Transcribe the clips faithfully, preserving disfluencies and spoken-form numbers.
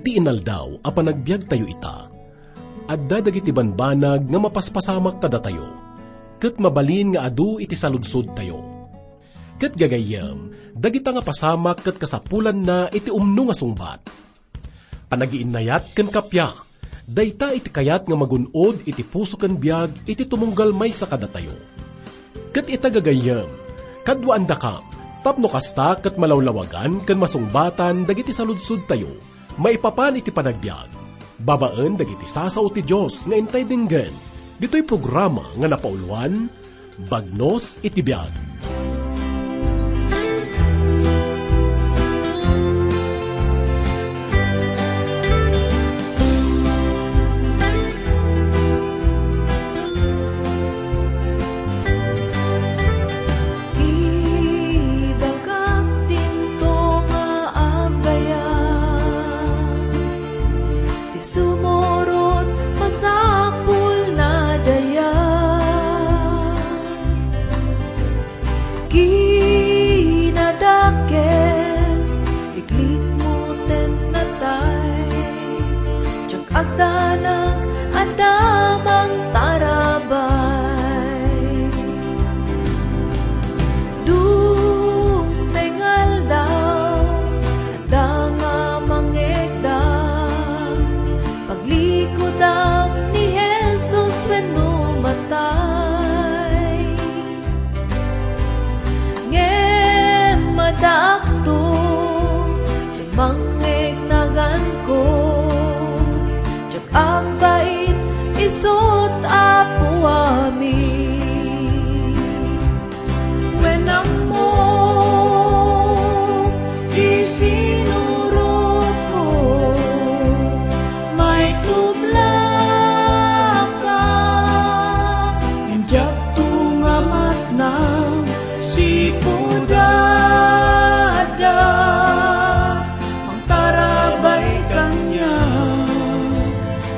Iti inaldaw a panagbiagtayo ita, adda dagiti banbanag nga mapaspasamak kadatayo, ket mabalin nga adu iti saludsodtayo. Ket gagayyem, dagita nga pasamak ket kasapulanna iti umno nga sungbat. Panagiinnayat ken kappia, dayta iti kayat nga magun-od iti puso ken biag iti tumunggal maysa kadatayo. Ket ita gagayyem, kaduaandakam, tapno kasta ket malawlawagan ken masungbatan dagiti saludsodtayo maipapan iti panagbiag, babaen dagiti sasao ti Dios nga intay denggen, ditoy programa nga napauluan, Bagnos iti Biag. Ibagak dinto nga agayam ti sumurot masapulna dayag. Kinadakes, iklikmo ten natay. Diak agdanag a damang tarabay. Dumteng aldaw, adda nga mangegda, paglikudam ni Jesus wenno matay. Ngem addaakto, ti mangngegnaganko, diak agbain, isut' Apo amin. Wen ammo ti sinurotko, maitublaka, ngem diakto nga matnang sipud adda mangtarabay kaniak.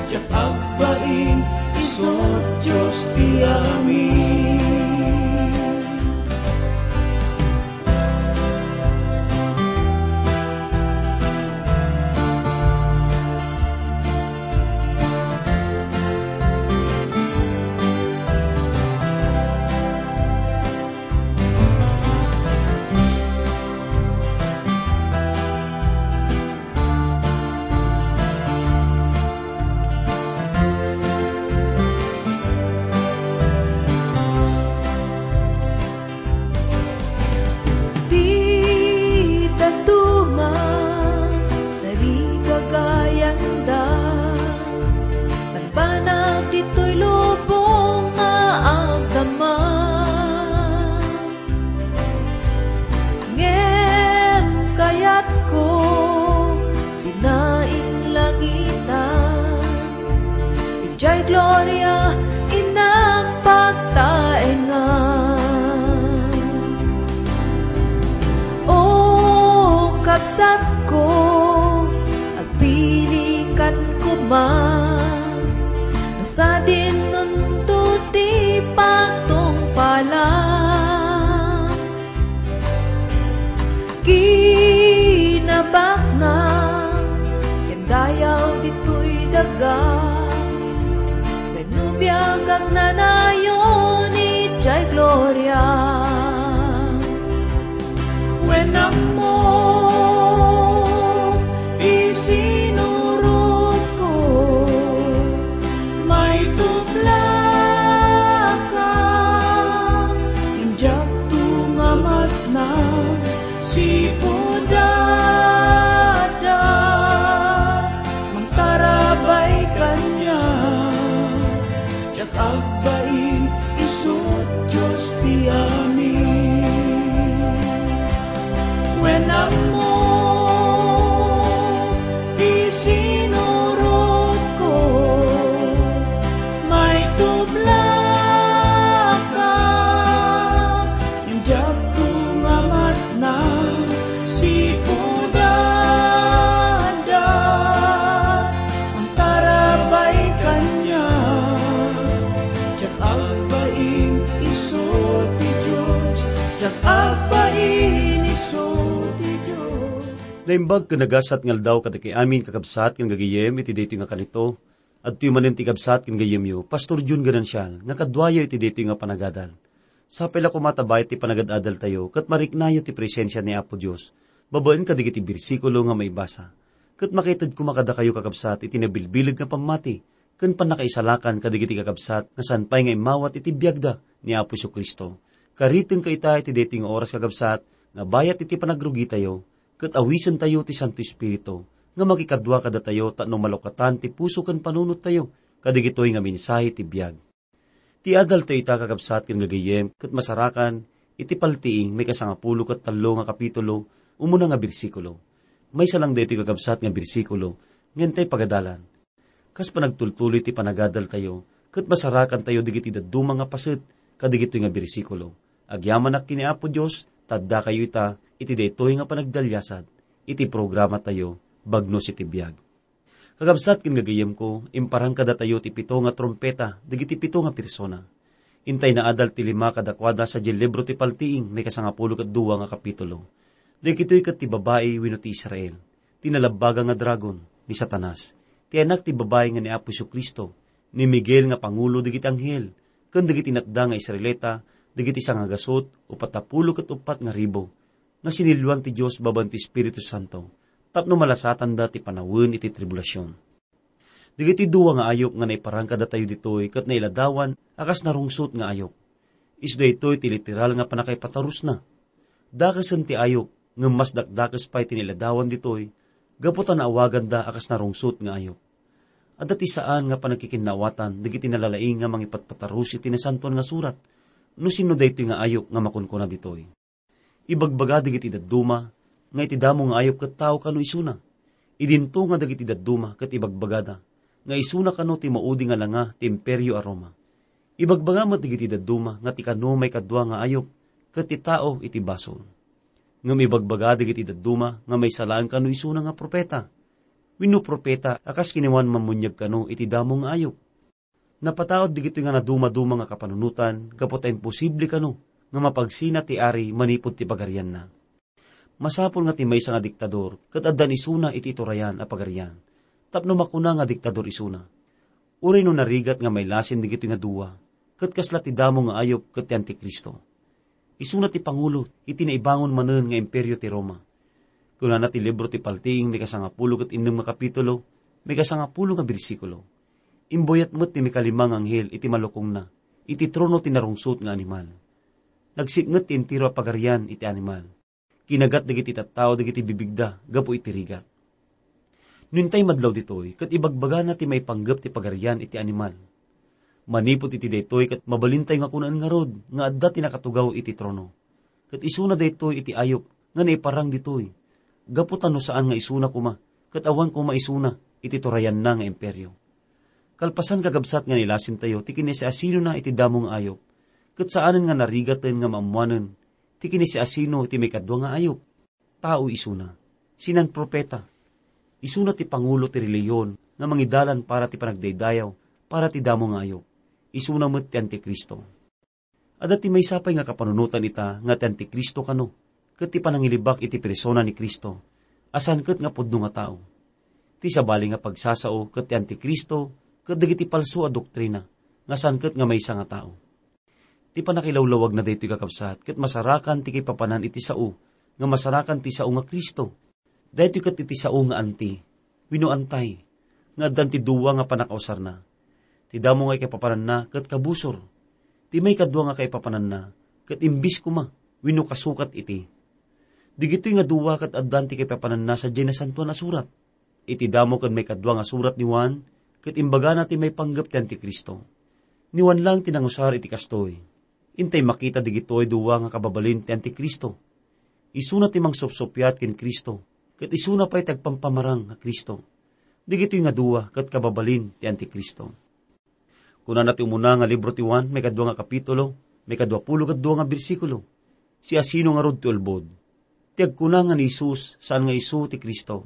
Diak agbain, isut' Dios ti amin. Ti dadduma, tarigagayanda, banbanag ditoy lubong nga agdama. Ngem kayatko, dina inlangitan, idiay gloria innak pagtaengan. O kabsatko, agpilikan koma, no sadinonto ti pagtungpalan. Kinabaknang ken dayaw ditoy daga, wenno biag agnanayon idiay gloria. Wen ammo ti sinurotko, maitublaka, ngem diakto nga matnang sipud adda mangtarabay kaniak. Diak agbain, isut' Dios ti amin. Wen ammo ti sinurotko, maitublaka, ngem diakto nga matnang sipud adda mangtarabay kaniak. Naimbag ken nagasat nga aldaw kadagiti amin, kakabsat ken gagayem, iti daytoy nga kanito. Adtoy manen ti kabsat ken gayyemyo, Pastor Jun Ganancial, nga kaduayo iti daytoy nga panagadal. Sapay la koma ta bayat ti panagad-adaltayo, ket mariknayo ti presensia ni Apo Dios, babaen kadagiti bersikulo nga maibasa. Ket makaited koma kadakayo, kakabsat, iti nabilbileg nga pammati, ken pannakaisalakan kadagiti kakabsat nga saan pay nga immawat iti biagda ni Apo Jesu-Cristo. Karitenka ita iti daytoy nga oras, kakabsat, nga bayat iti panagrugitayo, ket awisentayo ti Santo Espiritu nga makikadua kadatayo tapno malukatan ti puso ken panunottayo kadagitoy nga mensahe ti biag. Ti adaltayo ita, kakabsat ken gagayem, ket masarakan iti Paltiing, maikasangapulo ket tallo nga kapitulo, umuna nga bersikulo. Maysa lang daytoy, kakabsat, nga bersikulo nga intay pagadalan. Kas panagtultuloy ti panagadaltayo, ket masarakantayo dagiti dadduma nga paset kadagitoy nga bersikulo. Agyamanak ken ni Apo Dios, ta addakayo ita iti daytoy nga panagdaliasat, iti programatayo, Bagnos iti Biag. Kakabsat ken gagayemko, imparang kadatayo ti pito nga trumpeta dagiti pito nga persona. Intay naadal ti lima kadakuada sadiay libro ti Paltiing, maikasangapulo ket dua nga kapitulo. Dagitoy ket ti babai wenno ti Israel, ti nalabbaga nga dragon, ni Satanas, ti anak ti babai nga ni Apo Jesu-Cristo, ni Miguel nga pangulo dagiti anghel, ken dagiti natda nga Israelita, dagiti sangagasut, upat a pulo ket uppat nga ribu, nga sinilluan ti Dios babaen ti Espiritu Santo, tapno malasatanda ti panawen iti tribulasion. Dagiti dua nga ayup nga naiparang kadatayo ditoy ket nailadawan a kas narungsot nga ayup. Isu daytoy ti literal nga pannakaipatarusna. Dakesen ti ayup, ngem mas dakdakes pay ti nailadawan ditoy, gapu ta naawaganda a kas narungsot nga ayup. Adda ti saan nga pannakikinaawatan dagiti nalalaing nga mangipatpatarus iti Nasantoan nga Surat. No sinno daytoy nga ayup nga makunkuna ditoy? Ibagbaga dagiti dadduma nga iti damo nga ayup ket tao kano isuna. Idinto nga dagiti dadduma ket ibagbagada nga isuna kano ti maudi nga langa ti Imperio a Roma. Ibagbaga met dagiti dadduma nga ti kano maikadua nga ayup ket ti tao iti basol. Ngem ibagbaga dagiti dadduma nga maysa laeng kano isuna nga profeta, wenno profeta a kas ken ni Juan Mammuniag kano iti damo nga ayup. Napataud dagitoy nga nadumaduma nga kapanunotan gapu ta imposible kano nga mapagsina ti ari manipud ti pagarianna. Masapul nga ti maysa nga diktador ket addan isuna iti iturayan a pagarian, tapno makuna nga diktador isuna. Uray no narigat nga mailasin dagitoy nga dua, ket kasla ti damo nga ayup ket ti Antikristo. Isuna ti pangulo iti naibangon manen nga imperio ti Roma. Kunana ti libro ti Paltiing, maikasangapulo ket innem nga kapitulo, maikasangapulo nga bersikulo, "Imbuyat met ti maikalima nga anghel iti malukongna, iti trono ti narungsot nga animal. Nagsipnget ti entero a pagarian iti animal. Kinagat dagiti tattao dagiti bibigda gapu iti rigat." No intay madlaw ditoy, ket ibagbagana ti maipanggep ti pagarian iti animal. Manipud iti daytoy, ket mabalintay nga kunaen ngarud nga adda ti nakatugaw iti trono. Ket isuna daytoy iti ayup nga naiparang ditoy, gapu ta no saan nga isuna koma, ket awan koma isuna iti turayanna nga imperio. Kalpasan, kakabsat, nga nailasintayo ti kinasiasinona iti damo nga ayup, ket saanen nga narigaten nga maammoanen ti kinasiasino iti maikadua nga ayup. Tao isuna, sinan profeta. Isuna ti pangulo ti relihiyon nga mangidalan para ti panagdaydayaw, para ti damo nga ayup. Isuna met ti Antikristo. Adda ti maysa pay nga kapanunotan ita nga ti Antikristo kano, ket ti panangilibak iti persona ni Cristo, a saan ket nga pudno nga tao. Ti sabali nga pagsasao ket ti Antikristo ket dagiti palso a doktrina, nga saan ket nga maysa nga tao. Ti pannakilawlawagna daytoy, kakabsat, ket masarakan ti kaipapanan iti sao nga masarakan ti sao nga Cristo. Daytoy ket iti sao nga anti, wenno antay, nga addan ti dua nga pannakausarna. Ti damo nga kaipapananna ket kabusor. Ti maikadua nga kaipapananna ket imbis koma wenno kasukat iti. Dagitoy nga dua ket addan ti kaipapananna sadiay Nasantoan a Surat. Iti damo ken maikadua nga surat ni Juan, ket imbagana ti maipanggep ti Antikristo. Ni Juan lang ti nangusar iti kastoy. Intay makita dagitoy dua nga kababalin ti Antikristo. Isuna ti mangsupsuppiat ken Cristo, ket isuna pay ti agpampamarang nga Cristo. Dagitoy nga dua ket kababalin ti Antikristo. Kunana ti umuna nga libro ti Juan, maikadua nga kapitulo, maikadua pulo ket dua nga bersikulo, "Siasino ngarud ti ulbod? Ti agkuna nga ni Jesus, saan nga isu ti Cristo.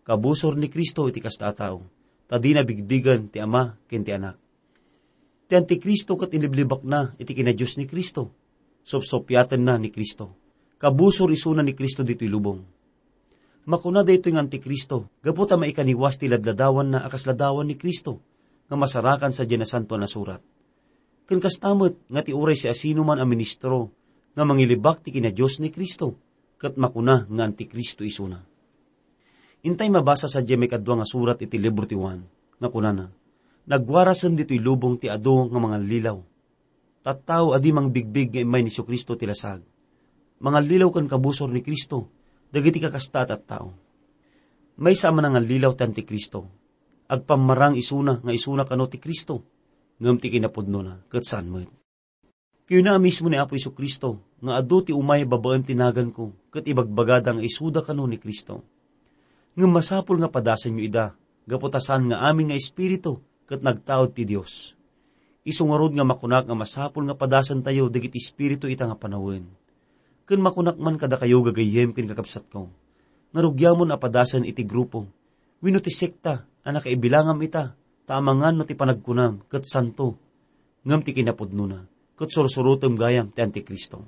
Kabusor ni Cristo iti kasta a tao, ta dina bigbigen ti Ama ken ti Anak." Ti Antikristo ket inliblibakna iti kinadios ni Cristo. Supsuppiatenna ni Cristo. Kabusor isuna ni Cristo ditoy lubong. Makuna daytoy nga Antikristo, gapu ta maikaniwas ti ladladawanna a kas ladawan ni Cristo, nga masarakan sadiay Nasantoan a Surat. Ken kasta met nga ti uray siasinoman a ministro nga mangilibak ti kina-Dios ni Cristo, ket makuna nga Antikristo isuna. Intay mabasa sadiay maikadua nga surat iti libro ti Juan, nga kunana, "Nagwarasen ditoy lubong ti adu nga mangallilaw." Tattao a di mangbigbig nga immay ni Jesu-Cristo ti lasag. Mangallilaw ken kabusor ni Cristo dagiti kakasta a tattao. Maysa a manangallilaw ti Antikristo. Agpammarang isuna nga isuna kano ti Cristo, ngem ti kinapudnona ket saan met. Kuyna a mismo ni Apo Jesu-Cristo nga adu ti umay babaen ti naganko ket ibagbagada nga isuda kano ni Cristo. Ngem masapul nga padasenyo ida, gapu ta saan nga amin nga espiritu ket nagtaud ti Dios. Isu ngarud nga makunak nga masapul nga padasentayo dagiti espiritu ita nga panawen. Ken makunak man kadakayo, gagayyem ken kakabsatko, nga rugiamon a padasen iti grupo wenno ti sekta a nakaibilangam ita, ta amangan no ti panagkunam ket santo, ngem ti kinapudnona, ket sursurotem gayam ti Antikristo.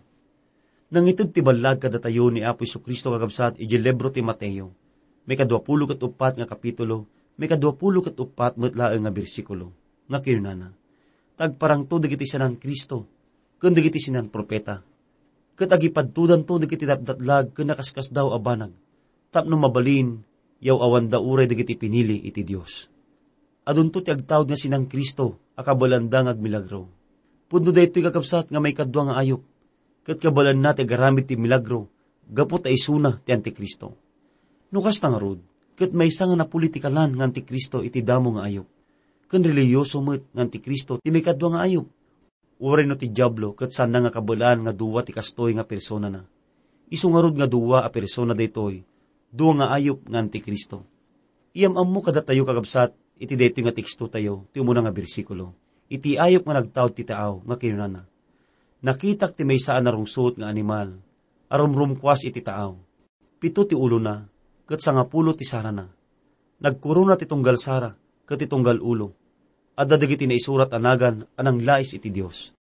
Nangited ti ballag kadatayo ni Apo Jesu-Cristo, kakabsat, idiay libro ti Mateo, maikadua pulo ket uppat nga kapitulo, maikadua pulo ket uppat met laeng nga bersikulo, nga kinunana, "Tagparangto dagiti sinan-Cristo ken dagiti sinan-profeta, ket agipadtodanto dagiti datdatlag ken nakaskasdaaw a banag, tapno mabalin, yaw-awanda uray dagiti pinili iti Dios." Adunto ti agtaud nga sinan-Cristo a kabaelanda nga agmilagro. Pudno daytoy, kakabsat, nga maikadua nga ayup, ket kabaelanna ti agaramid ti milagro gapu ta isuna ti Antikristo. No kasta ngarud, ket maysa nga napolitikalan nga Antikristo iti damo nga ayup, ken relihiyoso met nga Antikristo ti maikadua nga ayup. Uray no ti Diablo ket saanna nga kabaelan nga dua ti kastoy nga personana. Isu ngarud nga dua a persona daytoy, dua nga ayup nga Antikristo. Iyam-ammo kadatayo, kakabsat, iti daytoy nga tekstotayo, ti umuna nga bersikulo, iti ayup nga nagtaud ti taaw nga kinunana, "Nakitak ti maysa a narungsot nga animal a rumrumkuas iti taaw. Pito ti ulona, ket sangapulo ti sarana. Nagkorona ti tunggal sara ket ti tunggal ulo. Adda dagiti naisurat a nagan a nanglais iti Dios."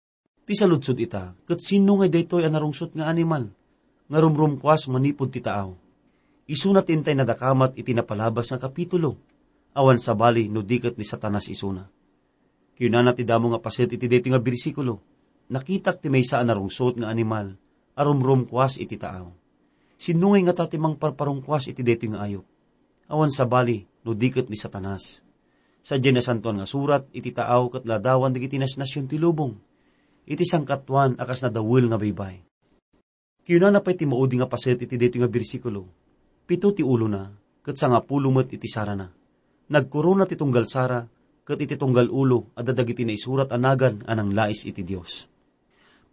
Ti saludsod ita, ket sinno ngay daytoy a narungsot nga animal nga rumrumkuas manipud ti taaw? Isuna ti intay nadakamat iti napalabas nga kapitulo. Awan sabali no di ket ni Satanas isuna. Kinunana ti damo nga paset iti daytoy nga bersikulo, "Nakitak ti maysa a narungsot nga animal a rumrumkuas iti taaw." Sinno ngay ngata ti mangparparungkuas iti daytoy nga ayup? Awan sabali no di ket ni Satanas. Sadiay Nasantoan nga Surat, iti taaw ket ladawan dagiti nasnasion ti lubong iti sangkatuan a kas nadawel nga baybay. Kinunana pay ti maudi nga paset iti daytoy nga bersikulo, "Pito ti ulona, ket sangapulo met iti sarana. Nagkorona ti tunggal sara, ket iti tunggal ulo adda dagiti naisurat a nagan a nanglais iti Dios."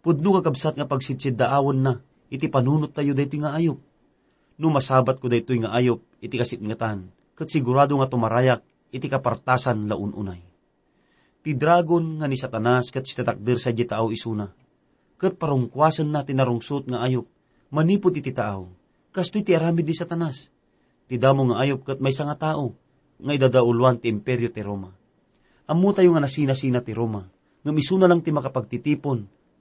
Pudno, kakabsat, nga pagsidsiddaawenna iti panunottayo daytoy nga ayup. No masabatko daytoy nga ayup iti kasipngetan, ket sigurado nga tumarayak iti kapartasan la un-unay. Ti dragon nga ni Satanas ket sitatakder sadiay taaw isuna, ket parungkuasenna ti narungsot nga ayup manipud iti taaw. Kastoy ti aramid ni Satanas. Ti damo nga ayup ket maysa nga tao nga idadauluan ti Imperio ti Roma. Ammotayo nga nasinasina ti Roma, ngem isuna lang ti makapagtitipon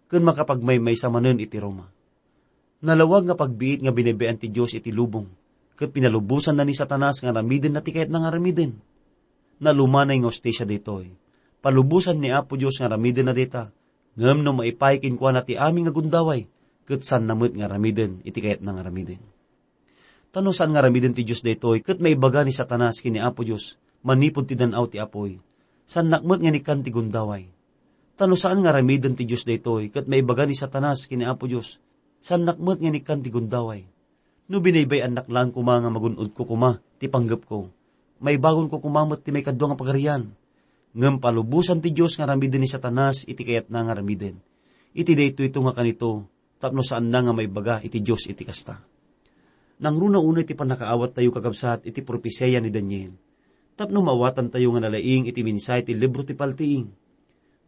ken makapagmaymaysa manen iti Roma. Nalawag nga pagbiit nga binaybay-an ti Dios iti lubong, ket pinalubosanna ni Satanas nga aramidenna ti kayatna nga aramiden. Nalumanay nga hustisia daytoy. Palubosan ni Apo Dios nga aramidenna dayta, ngem no maipaay kenkuana ti amin nga gundaway, ket saanna met nga aramiden iti kayatna nga aramiden. Ta no saan nga aramiden ti Dios daytoy ket maibaga ni Satanas ken ni Apo Dios manipud ti dan-aw ti apuy, saannak met nga inikkan ti gundaway. Ta no saan nga aramiden ti Dios daytoy ket maibaga ni Satanas ken ni Apo Dios, saannak met nga inikkan ti gundaway. No binaybay-annak laeng koma nga magun-odko koma ti panggepko, maibagonko koma met ti maikadua nga pagarian. Ngem palubosan ti Dios nga aramiden ni Satanas iti kayatna nga aramiden. Iti daytoyto nga kanito, tapno saanna nga maibaga iti Dios iti kasta. Nangruna unay ti pannakaawattayo, kakabsat, iti propesia ni Daniel, tapno maawatantayo nga nalaing iti mensahe ti libro ti Paltiing.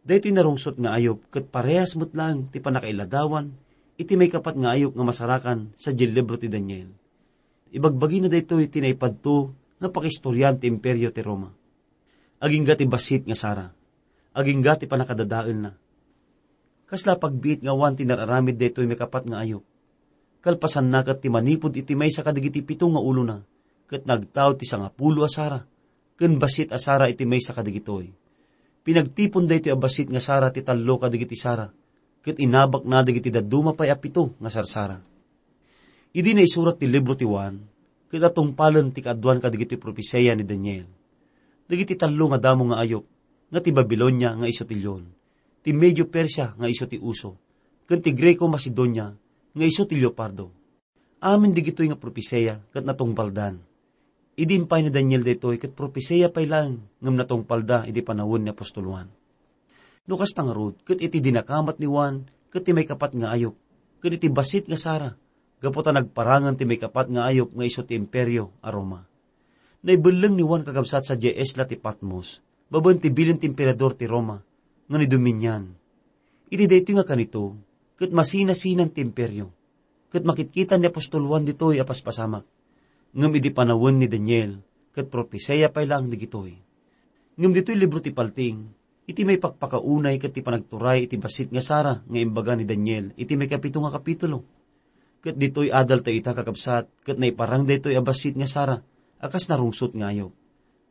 Daytoy narungsot nga ayup ket parehas met laeng ti pannakailadawan iti maikapat nga ayup nga masarakan sadiay libro ti Daniel. Ibagbagina daytoy ti naipadto nga pakaistoriaan ti Imperio ti Roma. Agingga ti bassit nga sara. Agingga ti pannakadadaelna. Kasla pagbiit nga awan ti nararamid daytoy maikapat nga ayup. Kalpasanna ket ti manipud iti maysa kadagiti pito nga ulona, ket nagtaud ti sangapulo a sara, ken bassit a sara iti maysa kadagitoy. Pinagtipon daytoy a bassit nga sara ti tallo kadagiti sara, ket inabakna dagiti dadduma pay a pito nga sarsara. Idi naisurat ti libro ti Juan, ket natungpalen ti kaaduan kadagiti propesia ni Daniel. Dagiti tallo nga damo nga ayup, nga ti Babilonia nga isu ti leon, ti Medio Persia nga isu ti uso, ken ti Greco Macedonia nga isu ti leopardo. Amin digitoy nga propesia ket natungpaldan. Idi impay ni Daniel daytoy ket propesia pay laeng ngem natungpalda idi panawen ni apostol Juan. No kasta ngarud, ket iti dinakamat ni Juan ket ti maikapat nga ayup, ket iti bassit nga sara, gapu ta nagparangen ti maikapat nga ayup nga isu ti Imperio a Roma. Naibelleng ni Juan kakabsat sadiay isla ti Patmos, babaen ti bilin ti emperador ti Roma, nga ni Dominian. Iti daytoy nga kanito, ket masinasinan ti imperio, ket makitkitan ni apostol Juan ditoy a paspasamak. Ngem idi panawen ni Daniel, ket propesia pay laeng digitoy. Ngem ditoy libro ti Paltiing, iti maipakpakaunay ket ti panagturay iti bassit nga sara nga imbaga ni Daniel iti maikapito nga kapitulo. Ket ditoy adal ta ita, kakabsat, ket naiparang daytoy a bassit nga sara a kas narungsot nga ayup.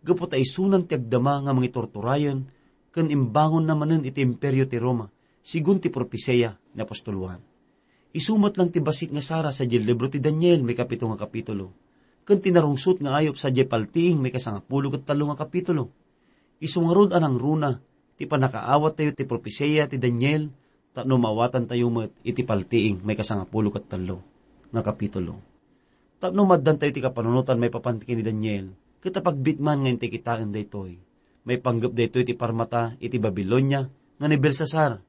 Gapu ta isunan ti agdama nga mangiturturayen ken imbangonna manen iti Imperio ti Roma, sigun ti propesia ni apostol Juan. Isu met lang ti bassit nga sara sadiay libro ti Daniel, maikapito nga kapitulo, ken ti narungsot nga ayup sadiay Paltiing, maikasangapulo ket tallo nga kapitulo. Isu ngarud a nangruna ti pannakaawattayo ti propesia ti Daniel tapno maawatantayo met iti Paltiing, maikasangapulo ket tallo nga kapitulo. Tapno maaddantayo ti kapanunotan maipapan ken ni Daniel, ket apagbitman nga intay kitaen daytoy. Maipanggep daytoy ti parmata iti Babilonia nga ni Belsasar.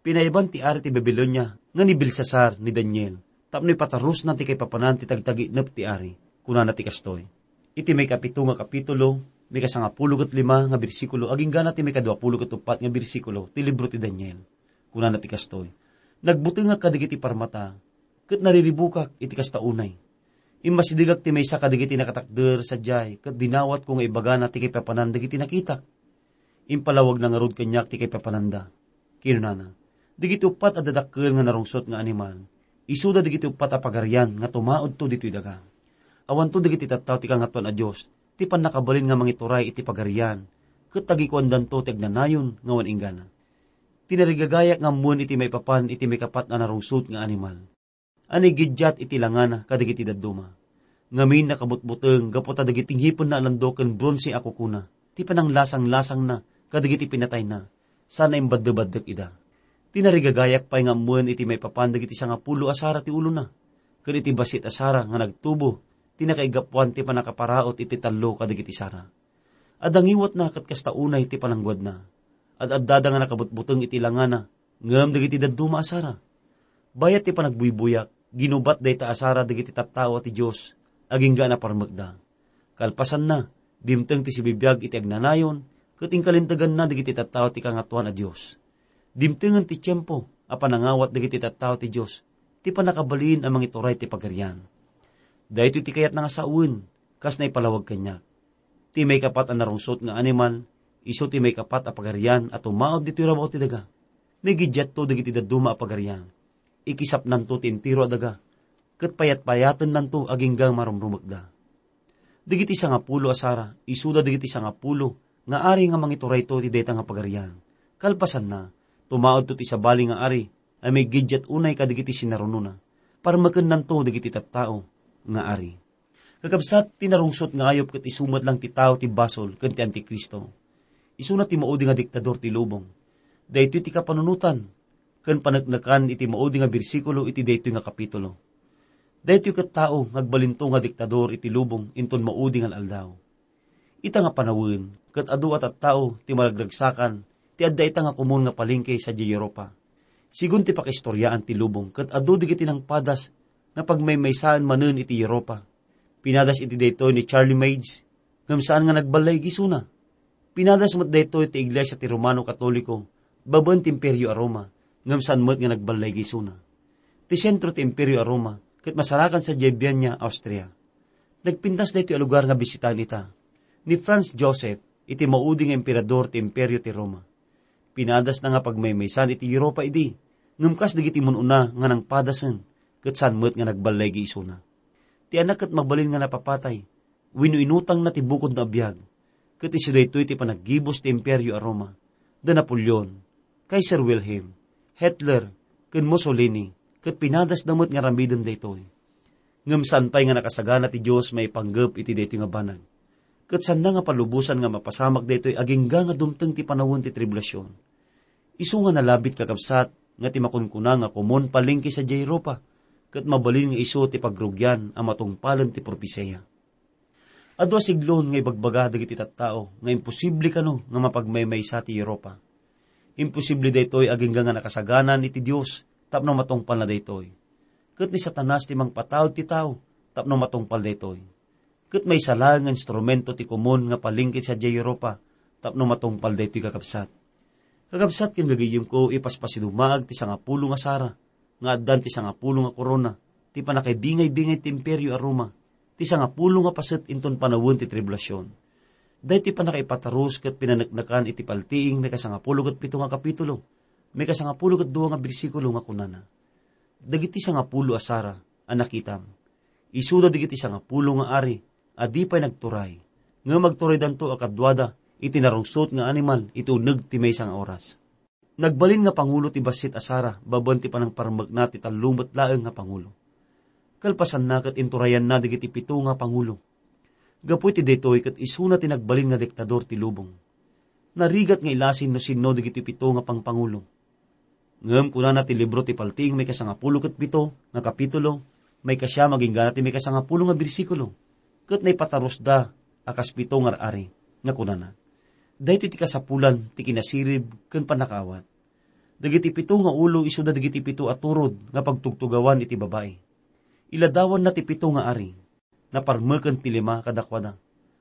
Pinaiban ti ari ti Babilonia nga ni Belsasar ni Daniel tapno ipatarusna ti kaipapanan ti tagtaginep ti ari. Kunana ti kastoy. Iti maikapito nga kapitulo, maikasangapulo ket lima nga bersikulo, aginggana ti maikaduapulo ket uppat nga bersikulo ti libro ti Daniel. Kunana ti kastoy, "Nagbutengak kadagiti parmata, ket nariribukak iti kasta unay. Immasidegak ti maysa kadagiti nakatakder sadiay, ket dinawatko nga ibagana ti kaipapanan dagiti nakitak." Impalawagna ngarud kaniak ti kaipapananda. Kinunana, "Dagiti uppat a dadakkel nga narungsot nga animal, isuda dagiti uppat a pagarian nga tumaudto ditoy daga. Awanto dagiti tattao ti Kangatoan a Dios ti pannakabalin nga mangituray iti pagarian, ket tagikuandanto ti agnanayon nga awan inggana. Tinarigagayak nga ammoen iti maipapan iti maikapat a narungsot nga animal. Anigiddiat iti langana kadagiti dadduma. Ngamin nakabutbuteng gapu ta dagiti ngipenna a landok ken bronse a kukuna, ti pananglasanglasangna kadagiti pinatayna, sana imbaddebaddek ida. Tinarigagayak pay nga ammoen iti maipapan dagiti sangapulo a sara ti ulona, ken iti bassit a sara nga nagtubo ti nakaigapuan ti pannakaparaut iti tallo kadagiti sara. Adda ngiwatna ket kasta unay ti panangguadna. Ad-addada nga nakabutbuteng iti langana, ngem dagiti dadduma a sara. Bayat ti panagbuybuyak, ginubat dayta a sara dagiti tattao a ti Dios, agingga a naparmekda. Kalpasanna, dimteng ti sibibiag iti agnanayon, ket inkalinteganna dagiti tattao ti Kangatoan a Dios. Dimtengen ti tiempo a panangawat dagiti tattao ti Dios, ti pannakabalin a mangituray ti pagarian. Daytoy ti kayatna nga sawen, kas naipalawag kaniak. Ti maikapat a narungsot nga animal, isu ti maikapat a pagarian a tumaud ditoy rabaw ti daga. Nigiddiatto dagiti dadduma a pagarian. Ikisapnanto ti entero a daga, ket payatpayatennanto agingga marumrumekda. Dagiti sangapulo a sara, isuda dagiti sangapulo nga ari nga mangiturayto iti dayta nga pagarian. Kalpasanna, tumaudto ti sabali nga ari a migiddiat unay kadagiti sinarunona. Parmekennanto dagiti tattao nga ari." Kakabsat, ti narungsot nga ayup ket isu met lang ti tao ti basol ken ti Antikristo. Isuna ti maudi nga diktador ti lubong. Daytoy ti kapanunotan ken paneknekan iti maudi nga bersikulo iti daytoy nga kapitulo. Daytoy ket tao nga agbalinto nga diktador iti lubong inton maudi nga aldaw. Ita nga panawen, ket adu a tattao ti maragragsakan ti adda ita nga komun nga palengke sadiay Europa. Sigun ti pakaistoriaan ti lubong, ket adu dagiti nangpadas nga pagmaymaysaen manen iti Europa. Pinadas iti daytoy ni Charlemagne, ngem saan nga nagballay gisuna. Pinadas met daytoy ti Iglesia ti Romano Katoliko, babaen ti Imperio a Roma, ngem saan met nga nagballay gisuna. Ti sentro ti Imperio a Roma, ket masarakan sadiay Vienna, Austria. Nagpintas daytoy a lugar nga bisitaen ita ni Franz Joseph iti maudi nga emperador ti Imperio ti Roma. Pinadasna nga pagmaymaysan iti Europa idi, ngem kas dagiti mun-una nga nangpadasen, ket saan met nga nagballay gisuna. Ti anak ket mabalin nga napapatay, wenno inutangna ti bukodna a biag, ket isu daytoy ti panaggibus ti Imperio a Roma, da Napoleon, Kaiser Wilhelm, Hitler, ken Mussolini, ket pinadasda met nga aramiden daytoy. Ngem saan pay nga nakasagana ti Dios maipanggep iti daytoy nga banag. Ket saanna nga palubosan nga mapasamak daytoy agingga nga dumteng ti panawen ti tribulasion. Isu nga nalabit, kakabsat, nga ti makunkuna nga komon palengke sadiay Europa, ket mabalin nga isu ti pagrugian a matungpalen ti propesia. Adu a siglo nga ibagbaga dagiti tattao nga imposible kano nga mapagmaymaysa ti Europa. Imposible daytoy agingga nga nakasaganan iti Dios tapno matungpalna daytoy. Ket ni Satanas ti mangpataud ti tao tapno matungpal daytoy. Ket maysa laeng nga instrumento ti komon nga palengke sadiay Europa tapno matungpal daytoy, kakabsat. Kakabsat ken gagayyemko, ipaspasidumaag ti sangapulo nga sara, nga addan ti sangapulo nga korona, ti pannakaibingaybingay ti Imperio a Roma, ti sangapulo nga paset inton panawen ti tribulasion. Daytoy pannakaipatarus ket pinaneknekan iti Paltiing maikasangapulo ket pito nga kapitulo, maikasangapulo ket dua nga bersikulo nga kunana, "Dagiti sangapulo a sara a nakitam, isuda dagiti sangapulo nga ari a di pay nagturay, ngem agturaydanto a kaduada iti narungsot nga animal iti uneg ti maysa nga oras." Nagbalin nga pangulo ti bassit a sara babaen ti panangparmekna ti tallo met laeng nga pangulo. Kalpasanna ket inturayanna dagiti pito nga pangulo. Gapu iti daytoy ket isuna ti nagbalin nga diktador ti lubong. Narigat nga ilasin no sinno dagiti pito nga pangpangulo. Ngem kunana ti libro ti Paltiing maikasangapulo ket pito nga kapitulo, maikasiam agingga ti maikasangapulo nga bersikulo, ket naipatarusda a kas pito nga ar-ari, nga kunana, "Daytoy ti kasapulan ti kinasirib ken pannakaawat. Dagiti pito nga ulo isuda dagiti pito a turod nga pagtugtugawan iti babai. Iladawanna ti pito nga ari. Naparmeken ti lima kadakuada.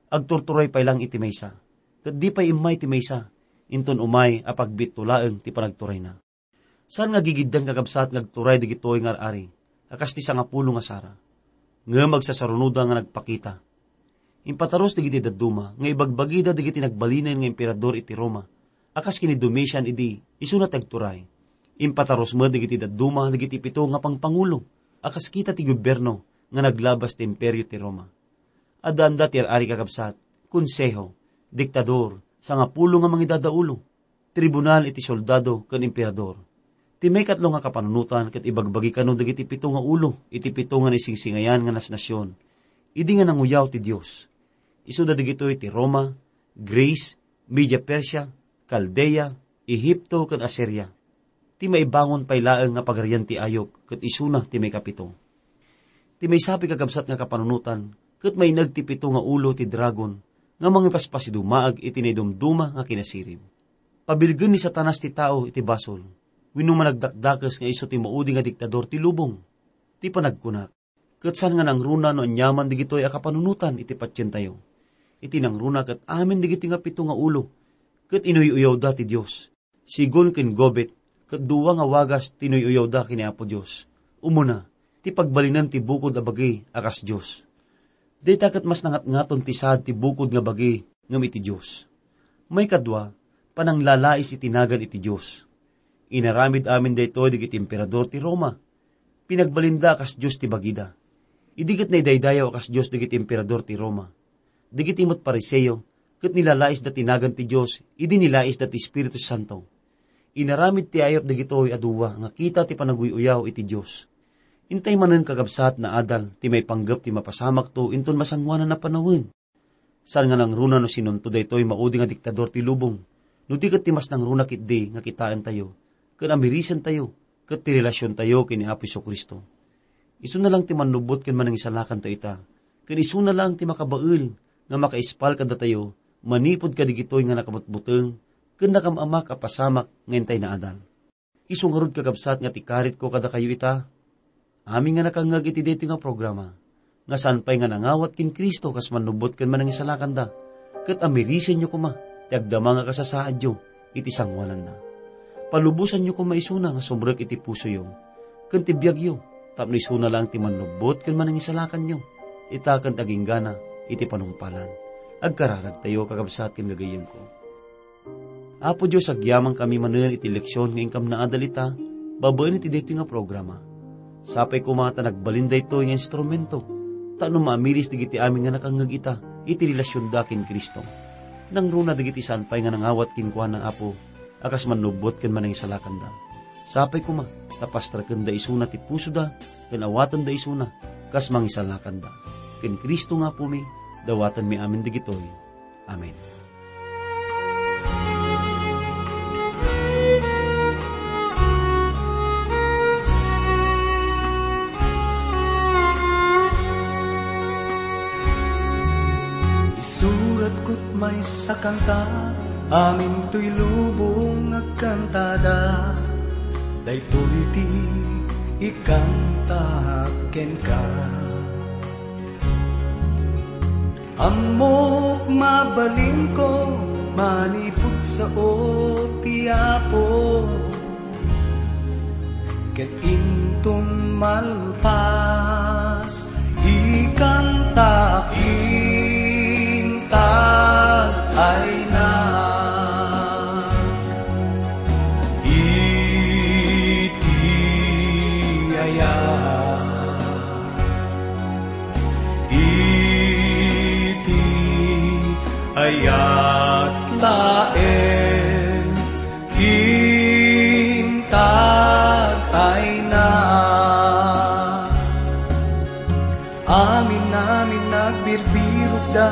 Agturturay pay laeng iti maysa, ket di pay immay ti maysa, inton umay a pagbiitto laeng ti panagturayna." Saan nga gigiddan, kakabsat, nga agturay dagitoy nga ar-ari a kas ti sangapulo nga sara. Ngem agsasarunoda nga nagpakita. Impatarus dagiti dadduma nga ibagbagida dagiti nagbalinen nga emperador iti Roma a kas ken ni Domitian idi isuna ti agturay. Impatarus met dagiti dadduma dagiti pito nga pangpangulo a kas kita ti gobierno nga naglabas ti Imperio ti Roma. Addaanda ti ar-ari, kakabsat, konseho, diktador, sangapulo nga mangidadaulo, tribunal iti soldado ken emperador. Ti maikatlo nga kapanunotan ket ibagbagi kano dagiti pito nga ulo iti pito nga naisingsingayan nga nasnasion idi nga nanguyaw ti Dios. Isuda dagitoy ti Roma, Greece, Media Persia, Caldea, Ehipto, ken Asiria. Ti maibangon pay laeng nga pagarian ti ayup ket isuna ti maikapito. Ti maysa pay, kakabsat, nga kapanunotan ket maineg ti pito nga ulo ti dragon nga mangipaspasiduma iti naidumduma nga kinasirib. Pabilgen ni Satanas ti tao iti basol, wenno managdakdakes nga isu ti maudi nga diktador ti lubong. Ti panagkunak, ket saan nga nangruna no aniaman dagitoy a kapanunotan iti patientayo. Iti nangruna ket amin dagiti nga pito nga ulo ket inuy-uyawda ti Dios. Sigon ken Gobet, ket dua nga wagas ti inuy-uyawda ken ni Apo Dios. Umuna, ti pagbalinen ti bukod a bagi a kas Dios. Dayta ket mas nangatngaton ti saad ti bukod nga bagi ngem iti Dios. Maikadua, pananglalais iti nagan iti Dios. Inaramid amin daytoy dagiti emperador ti Roma. Pinagbalinda a kas Dios ti bagida. Idi ket naidaydayaw a kas Dios dagiti emperador ti Roma. Dagiti met Fariseo ket nilalaisda ti nagan ti Dios idi nilaisda ti Espiritu Santo. Inaramid ti ayup dagitoy a dua nga kita ti panaguy-uyaw iti Dios. Intay manen, kakabsat, naadal ti maipanggep ti mapasamakto inton masangoanan a panawen. Saan nga nangruna no sinonto daytoy maudi nga diktador ti lubong, no di ket ti mas nangruna ketdi nga kitaentayo ken amirisentayo ket ti relasiontayo ken ni Apo Jesu-Cristo. Isuna laeng ti mannubbot ken manangisalakanto ita, ken isuna laeng ti makabael nga makaispal kadatayo manipud kadagitoy nga nakabutbuteng ken nakam-amak a pasamak nga intay naadal. Isu ngarud, kakabsat, nga ti karitko kadakayo ita, amin nga nakangngeg iti daytoy nga programa, nga saan pay nga nangawat ken Cristo kas mannubbot ken manangisalakanda, ket amirisenyo koma ti agdama nga kasasaadyo iti sangoananna. Palubosanyo koma isuna nga sumrek iti pusoyo ken ti biagyo, tapno isuna laeng ti mannubbot ken manangisalakanyo, ita ken ti aginggana iti panungpalan. Agkararagtayo, kakabsat ken gagayyemko. Apo Dios, agyamankami manen iti leksion nga inkam naadal ita babaen iti daytoy nga programa. Sapay koma ta nagbalin daytoy nga instrumento tapno maamiris dagiti amin nga nakangngeg ita iti relasionda ken Cristo. Nangruna dagiti saan pay nga nangawat kenkuana, Apo, a kas mannubbot ken manangisalakanda. Sapay koma ta pastrakenda isuna ti pusoda ken awatenda isuna kas mangisalakanda. Ken Cristo nga Apomi, dawatenmi amin dagitoy. Amen. Isuratko't maysa kanta, amin toy lubong agkantada. Daytoy ti ikantaak kenka. Ammok mabalinko, manipud sao ti Apo, ket inton malpas, ikantaak intag ayna. Iti ayat, iti ayat laeng intag ayna. Amin-amin nagbirbirokda,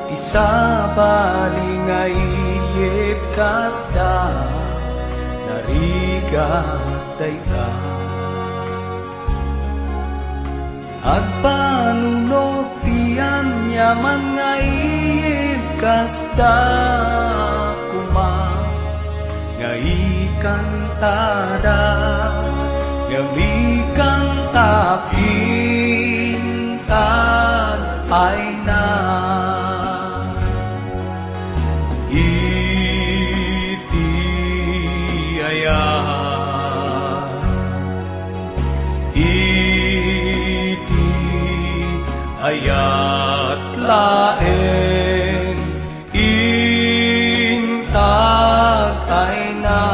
ti sabali nga iyebbasda, narigat dayta. Agpanunot ti aniaman nga iyebbasda koma, nga ikantada, nga ikantaak intag ayna. Iti ayat, iti ayat laeng intag ayna.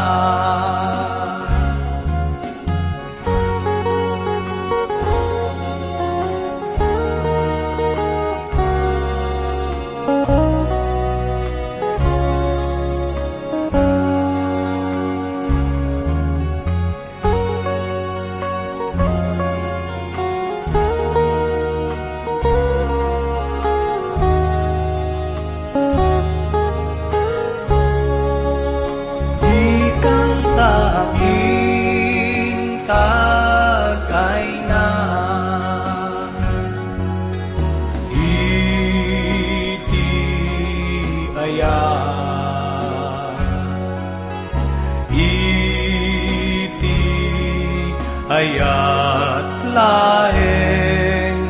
Ikantaak intag ayna. Iti ayat, iti ayat laeng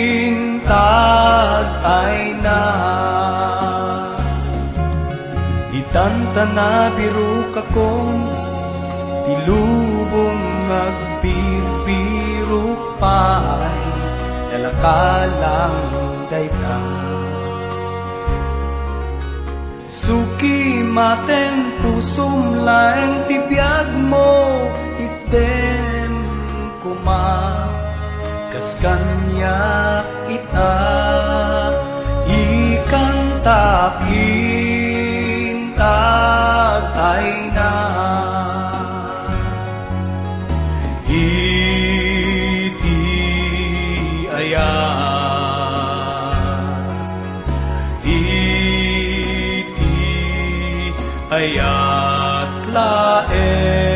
intag ayna. Itan ta nabirokakon, ti lubong nga agbirbirok pay, nalakalang dayta. Suki maten pusom laeng ti biagmo, itdem koma kas kaniak ita, ikantaak intag ayna. Iti ayat, iti ayat laeng